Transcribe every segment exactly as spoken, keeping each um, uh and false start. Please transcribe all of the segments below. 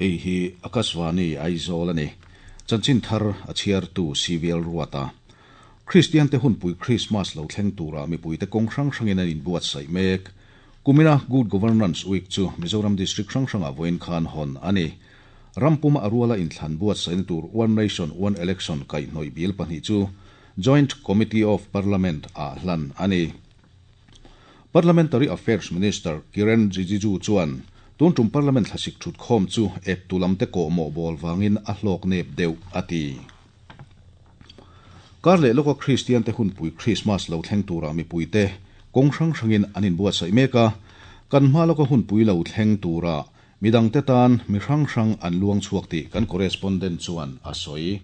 Hei hi Akashvani Aizawl ani. Chanchin thar a chhiar tu C V L Ruata. Christian te hunpui Christmas lo thleng tura mipui te kawng hrang hrangin an inbuatsaih mek. Kumina Good Governance Week chu Mizoram District hrang hranga vawiin khan hawn ani. Rampuma aruala inthlan buatsaihna tur One Nation One Election kaihhnawih bill pahnih chu Joint Committee of Parliament ah hlan ani. Parliamentary Affairs Minister Kiren Rijiju chuan tun tum Parliament thlasik thut khawm chu ep tulam te ko mo bol wangin a hlawk nep deuh ati. Kar leh loka Christian te hunpui Christmas lo thleng tura mipui te kawng hrang hrangin an inbuatsaih mek a. Kan hma loka hunpui lo thleng tura midang te tan mi hrang hrang an luang chhuak tih kan correspondent chuan a sawi.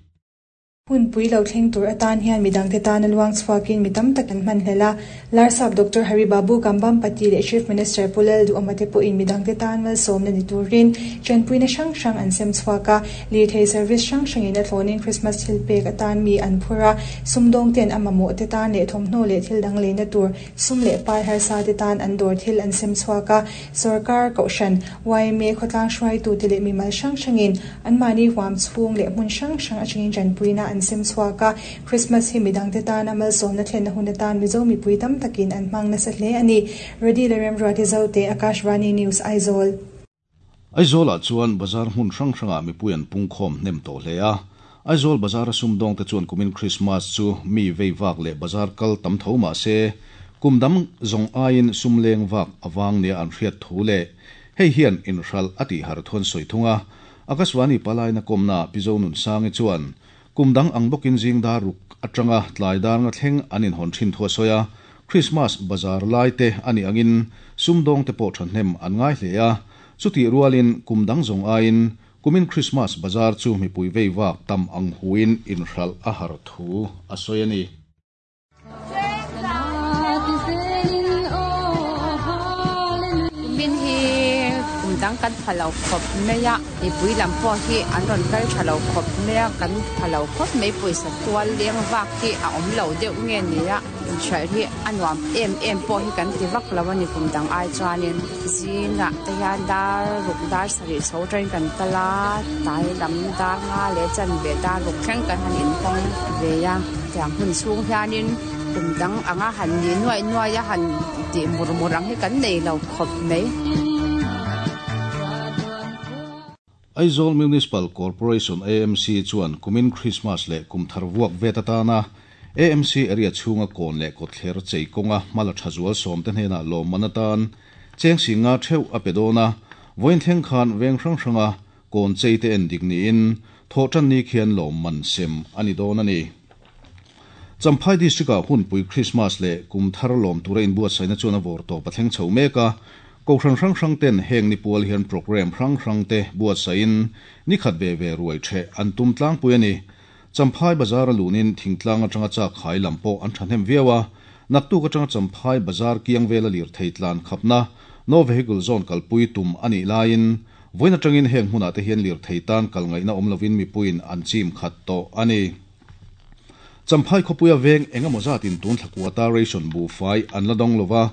Hunpui lo thleng tur atan hian midang te tan a luang chhuakin mi tam tak an hman hlel a. Larsap Doctor Haribabu Kambhampati leh Chief Minister Pu Lalduhoma te pawhin midang te tan malsawmna ni turin chanpuina hrang hrang an sem chhuak a. Lirthei service hrang hrangin a thlawnin Christmas thil pek atan mi an phur a. Sumdawng ten a mamawh te tan leh thawmhnaw leh thil dang leina tur sum leh pai harsa te tan an dawr thil an sem chhuak a. Sarkar, Kohhran, Y M A, khawtlang hruaitu te leh mimal hrang hrangin anmahni huam chhung leh hmun hrang hrang atangin chanpuina an sem chhuak a. Christmas hi midang te tan a malsawmna thlenna hun atan Mizo mipui tam takin an hmang nasa hle ani. Ready le Remruati Zote, Akashvani News, Aizawl. Aizawl ah chuan bazar hmun hrang hrangah mipui an pungkhawm hnem tawh hle a. Aizawl bazar a sumdawng te chuan kumin Christmas chu mi vei vak leh bazar kal tam tho mah se kum dang zawng aiin sum leng vak awang nia an hriat thu leh hei hian inhral a tih har thuan sawi thung a. Akashvani palaina kawmna Pizo Nun Sangi chuan kum dang ang bawkin zing dar ruk atanga tlai dar nga thleng an inhawn thin thu a sawi a. Christmas bazar lai te ani angin sumdawng te pawh thahnem an ngai hle a. Chutih rualin kum dang zawng aiin kumin Christmas bazar chu mipui vei vak tam ang huin inhral a har thu a sawi ani. Kumin hi kum dang kan pha lo khawp mai a. Mipui lam pawh hi an rawn kal tha lo khawp mai a. Kan pha lo khawp mai. Pawisa tual leng vak hi a awm lo deuh nge ni a, inhralh hi a nuam em em pawh hi kan ti vak lo ani kum dang ai chuanin. Zingah te hian dar ruk, dar sarih chho atangin kan kal a, tlai lam dar nga leh chanve, dar ruk thleng kan han inhawng ve a. Tiang hun chhung hianin kum dang anga han ni nuai nuai a, han tih mur mur ang hi kan nei lo khawp mai. Aizawl Municipal Corporation A M C chuan kumin Christmas leh kum thar vuak vet atana A M C area chhunga kawn leh kawtthler chei kawnga hmala tha zual sawm te hnenah lawmman atan cheng singa theuh a pe dawn a. Vawiin thleng khan veng hrang hranga kawn chei te en dik niin thawhtan ni khian lawmman sem ani dawn ani. Champhai District ah hunpui Christmas leh kum thar lawm tura inbuatsaihna chuan a vawr tawp a thleng chho mek a. Kohhran hrang hrang ten heng ni pual hian program hrang hrang te buatsaihin ni khat ve ve ruai the an tum tlangpui ani. Champhai bazar a lunin thingtlang atanga chak khai lam pawh an thahnem viau a. Naktuk atanga Champhai bazar kiang vela lir thei tlan khapna no vehicle zone kalpui tum ani laiin vawiin atangin heng hmunah te hian lir thei tan kal ngaihna awm lovin mipuiin an chim khat tawh ani. Champhai khawpuia veng engemaw zatin tun thlakuata ration buhfai an la dawng lova.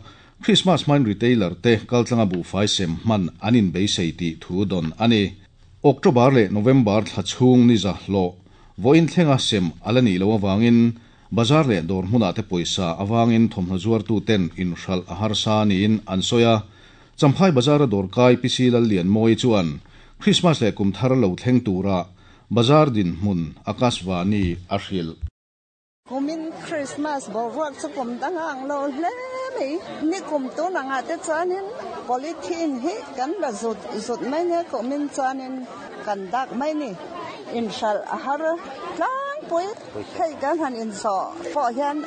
Christmas hmain retailer te kaltlanga buhfai sem hman an inbeisei tih thu dawn ani. October leh November thla chhung ni za hlawh vawiin thlenga sem ala nih lo awangin bazar leh dawr hmunah te pawisa awangin thawmhnaw zuartu ten inhralh a harsa niin an sawi a. Champhai bazar a dawrkai P C Lallianmawi chuan Christmas leh kum thar lo thleng tura bazar dinhmun Akashvani a hrilh. Kumin Christmas boruak chu kum dang ang lo hle mai. Ni kum tun anga te chuanin polythene hi kan la zut zut mai nia. Kumin chuanin kan dak mai ni. Inhralh a har tlangpui. Hei kan han inzawh pawh hian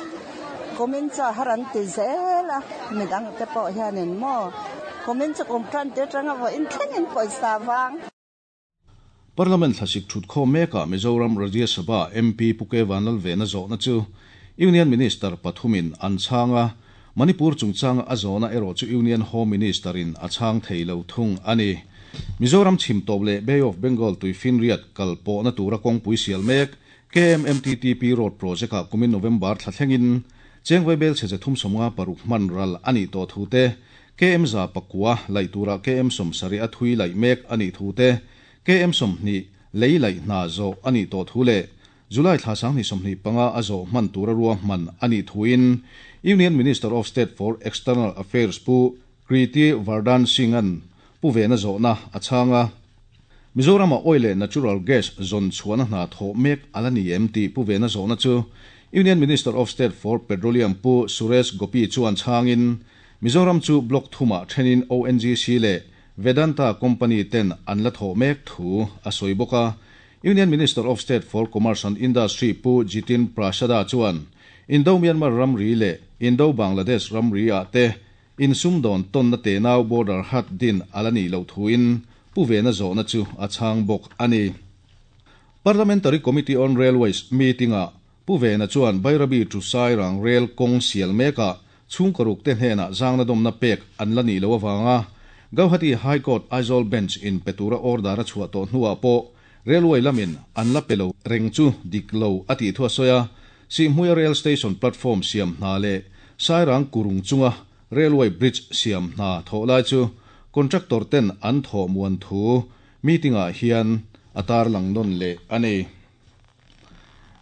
kumin chu a har an ti zel a. Midang te pawh hianin maw kumin chu kum tan te atanga vawiin thlengin pawisa wang. Parliament thlasik thut khawm mekah Mizoram Rajya Sabha M P Pu K Vanlalvena zawhna chu Union Minister pathumin an chhang a. Manipur chungchanga a zawhna erawh chu Union Home Minister in a chhang thei lo thung ani. Mizoram chhim tawp leh Bay of Bengal tuifinriat kal pawhna tura kawngpui sial mek K M M T T P Road Project ah kumin November thla thlengin cheng vaibel chhe thum sawmnga paruk hman ral ani tawh thu te, K M za pakua laih tura K M sawmsarih a thui laih mek ani thu te, K M sawmhnih lei laih hna zawh a nih tawh thu leh July thla sanghnih sawmhnih panga a zawh hman tura ruahman a nih thuin Union Minister of State for External Affairs Pu Kirti Vardhan Singh-an Pu Vena zawhna a chhang a. Mizorama oil leh natural gas zawn chhuahna hna thawh mek a la ni em tih Pu Vena zawhna chu Union Minister of State for Petroleum Pu Suresh Gopi chuan chhangin Mizoram chu block thumah thenin O N G C leh Vedanta company ten an la thawh mek thu a sawi bawk a. Union Minister of State for Commerce and Industry Pu Jitin Prasada chuan Indo-Myanmar ramri leh Indo-Bangladesh ramri ah te insumdawn tawnna tenau border haat din a la nih loh thuin Pu Vena zawhna chu a chhang bawk a ni. Parliamentary Committee on Railways meeting-ah Pu Vena chuan Bairabi to Sairang rail kawng sial mekah chhungkaw ruk te hnenah zangna dawmna pek an la nih loh avanga Guwahati High Court Aizawl Bench in pe tura order a chhuah tawh hnuah pawh railway lamin an la pe lo reng chu dik lo a tih thu a sawi a. Sihhmuia rail station platform siam hna leh Sairang kurung chunga railway bridge siam hna thawh lai chu contractor ten an thawh muan thu meeting-ah hian a tarlang nawn leh a ni.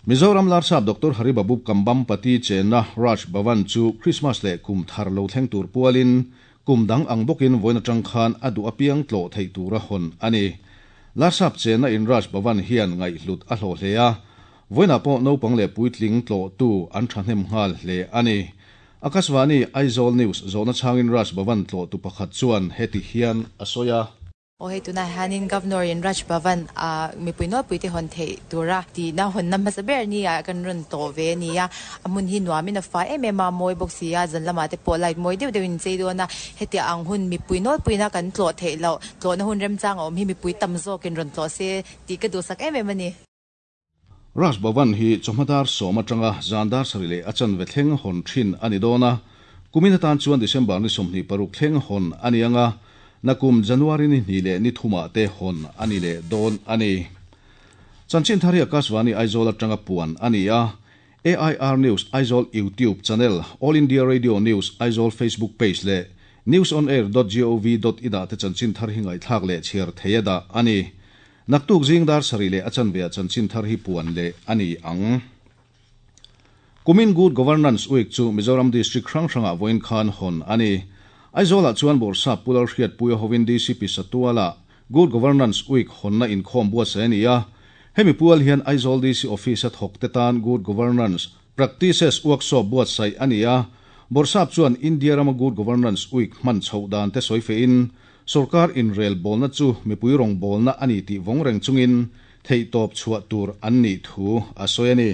Mizoram Larsap Doctor Haribabu Kambhampati chenna Raj Bhavan chu Christmas leh kum thar lo thleng tur pualin kum dang ang bawkin vawiin atang khan a duh apiang tlawh theih tura hawn a ni. Larsap chenna in Raj Bhavan hian ngaihhlut a hlawh hle a, vawiinah pawh naupang leh puitling tlawhtu an thahnem nghal hle a ni. Akashvani Aizawl News zawhna chhangin Raj Bhavan tlawhtu pakhat chuan heti hian a sawi a. Aw hei tunah hianin Governor in Raj Bhavan a mipui nawlpui te hawn theih tura tihna hawn hmasa ber ni ah kan rawn tawh ve a ni a. A hmun hi nuamin a fai em em a, mawi bawk si a, zan lamah te pawh light mawi deuh deuhin chei dawn a. Heti ang hun mipui nawlpuina kan tlawh theih loh tlawhna hun remchang a awm hi mipui tam zawkin rawn tlawh se tih ka duhsak em em a ni. Raj Bhavan hi chawhma dar sawm atanga zan dar sarih leh a chanve thleng hawn thin a ni dawn a. Kumin atan chuan December ni sawmhnih paruk thleng hawn a ni anga, nakum January ni hnih leh ni thumah te hawn a ni leh dawn a ni. Chanchin thar hi Akashvani Aizawl atanga puan a ni a. A I R News Aizawl YouTube channel, All India Radio News Aizawl Facebook page leh newsonair dot gov dot in ah te chanchin thar hi ngaihthlak leh chhiar theih a dah a ni. Naktuk zing dar sarih leh a chanve ah chanchin thar hi puan leh a ni ang. Kumin Good Governance Week chu Mizoram District hrang hrangah vawiin khan hawn a ni. Aizawlah chuan Bawrhsap Pu Lalhriatpuia hovin D C P Satuala Good Governance Week hawnna inkhawm buatsaih a ni a. Hemi pual hian Aizawl D C Office a thawk te tan Good Governance Practices Workshop buatsaih a ni a. Bawrhsap chuan India rama Good Governance Week hman chhoh dan te sawi fehin sarkar inrel bawlna chu mipui rawng bawlna a ni tih vawng reng chungin theihtawp chhuah tur an nih thu a sawi a ni.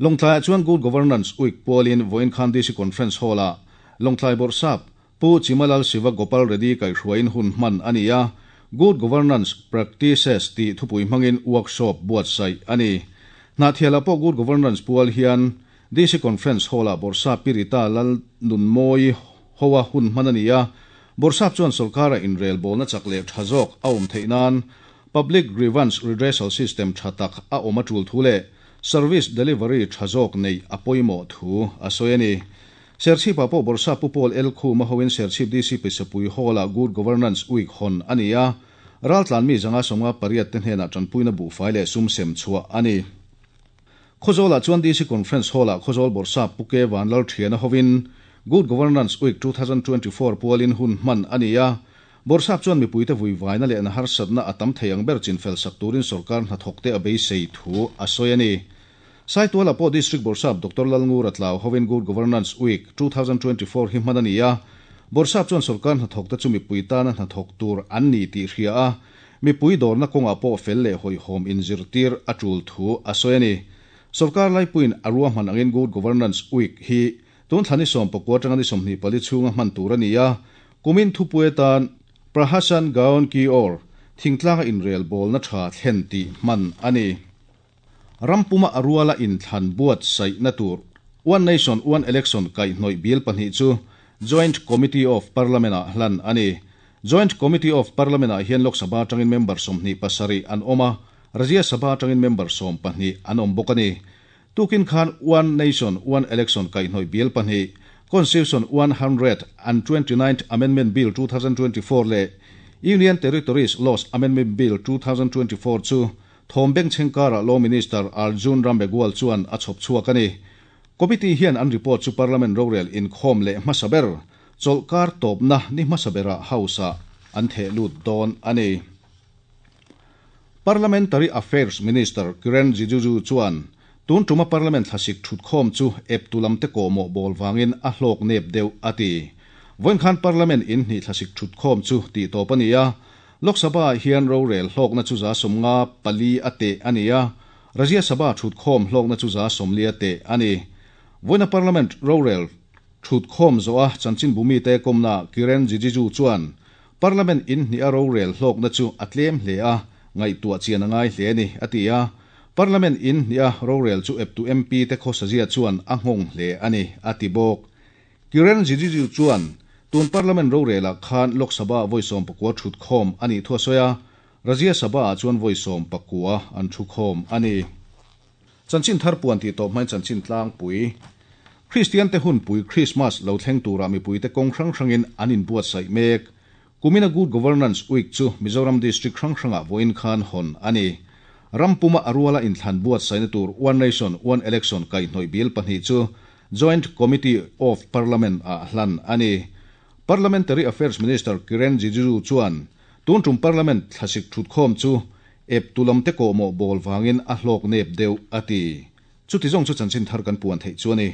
Lawngtlaiah chuan Good Governance Week pualin vawiin khan D C Conference Hall-ah Lawngtlai Bawrhsap Pu Chimalal Siva Gopal Reddy kaihhruaiin hun hman a ni a. Good Governance Practices tih thupui hmangin workshop buatsaih a ni. Hnahthialah pawh Good Governance pual hian D C Conference Hall-ah Bawrhsap Pirita Lal Nunmawi hoa hun hman a ni a. Bawrhsap chuan sarkara inrel bawlna chak leh tha zawk a awm theih nan Public Grievance Redressal System tha tak a awm a tul thu leh service delivery tha zawk nei a pawimawh thu a sawi a ni. Serchhipah pawh Bawrhsap Pu Paul L Khuma hovin Serchhip D C Pisapui Hall-ah Good Governance Week hawn a ni a. Raltlan mi zanga sawmnga pariat te hnenah tanpuina buhfai leh sum sem chhuah a ni. Khawzawlah chuan D C Conference Hall-ah Khawzawl Bawrhsap Pu K Vanlal Thiana hovin Good Governance Week twenty twenty-four pualin hun hman a ni a. Bawrhsap chuan mipuite vuivaina leh an harsatna a tam thei ang ber chinfel sak turin sarkar hnathawk te a beisei thu a sawi a ni. Saitualah pawh District Bawrhsap Doctor Lalngura Tlau hovin Good Governance Week twenty twenty-four hi hman a ni a. Bawrhsap chuan sarkar hnathawk te chu mipui tana hnathawk tur an ni tih hria a, mipui dawrna kawngah pawh fel leh hawihhawm inzirtir a tul thu a sawi a ni. Sarkar laipuiin a ruahman angin Good Governance Week hi tun thla ni sawm pakua atanga ni sawmhnih pali chhunga hman tur a ni a. Kumin thupui atan Prashasan Gaon Ki Or thingtlanga inrel bawlna tha thlen tih hman a ni. Rampuma a ruala inthlan buatsaihna tur One Nation One Election kaihhnawih bill pahnih chu Joint Committee of Parliament ah hlan a ni. Joint Committee of Parliament ah hian Lok Sabha atangin member sawmhnih pasarih an awm a, Rajya Sabha atangin member sawm pahnih an awm bawk a ni. Tukin khan One Nation One Election kaihhnawih bill pahnih Constitution one hundred and twenty-ninth Amendment Bill twenty twenty-four leh Union Territories Laws Amendment Bill twenty twenty-four chu Thombeng Chengkara Law Minister Arjun Ram Meghwal chuan a chhawp chhuak a ni. Committee hian an report chu Parliament rorel inkhawm leh hmasa ber chawlhkar tawpna ni hmasa bera House ah an theh lut dawn a ni. Parliamentary Affairs Minister Kiren Rijiju chuan tun tuma Parliament thlasik thutkhawm chu ep tulam te kawhmawh bawl wangin a hlawk nep deuh a ti. Vawiin khan Parliament in hnih thlasik thutkhawm chu tih tawp a ni a. Lok Sabha hian rorel hlawkna chu za sawmnga pali a teh a ni a. Rajya Sabha thutkhawm hlawkna chu za sawmli a teh a ni. Vawiina Parliament rorel thutkhawm zawha chanchin bumi te kawmna Kiren Rijiju chuan Parliament in hnih a rorel hlawkna chu a tlem hle a, ngaihtuah chian a ngai hle a ni a ti a. Parliament in hnih a rorel chu eptu M P te khawsazia chuan a nghawng hle a ni a ti bawk. Kiren Rijiju chuan tun Parliament rorela khan Lok Sabha vawisawm pakua thutkhawm a nih thu a sawi a. Rajya Sabha ah chuan vawisawm pakua an thukhawm a ni. Chanchin thar puan tih tawp hmain chanchin tlangpui. Christian te hunpui Christmas lo thleng tura mipui te kawng hrang hrangin an inbuatsaih mek. Kumina Good Governance Week chu Mizoram District hrang hrangah vawiin khan hawn a ni. Rampuma aruala inthlan buatsaihna tur One Nation One Election kaihhnawih bil pahnih chu Joint Committee of Parliament ah hlan a ni. Parliamentary Affairs Minister Kiren Rijiju chuan tun tum Parliament thlasik thutkhawm chu ep tulam te kawhmawh bawl wangin a hlawk nep deuh a ti. Chuti zawng chu chanchin thar kan puan theih chu a ni.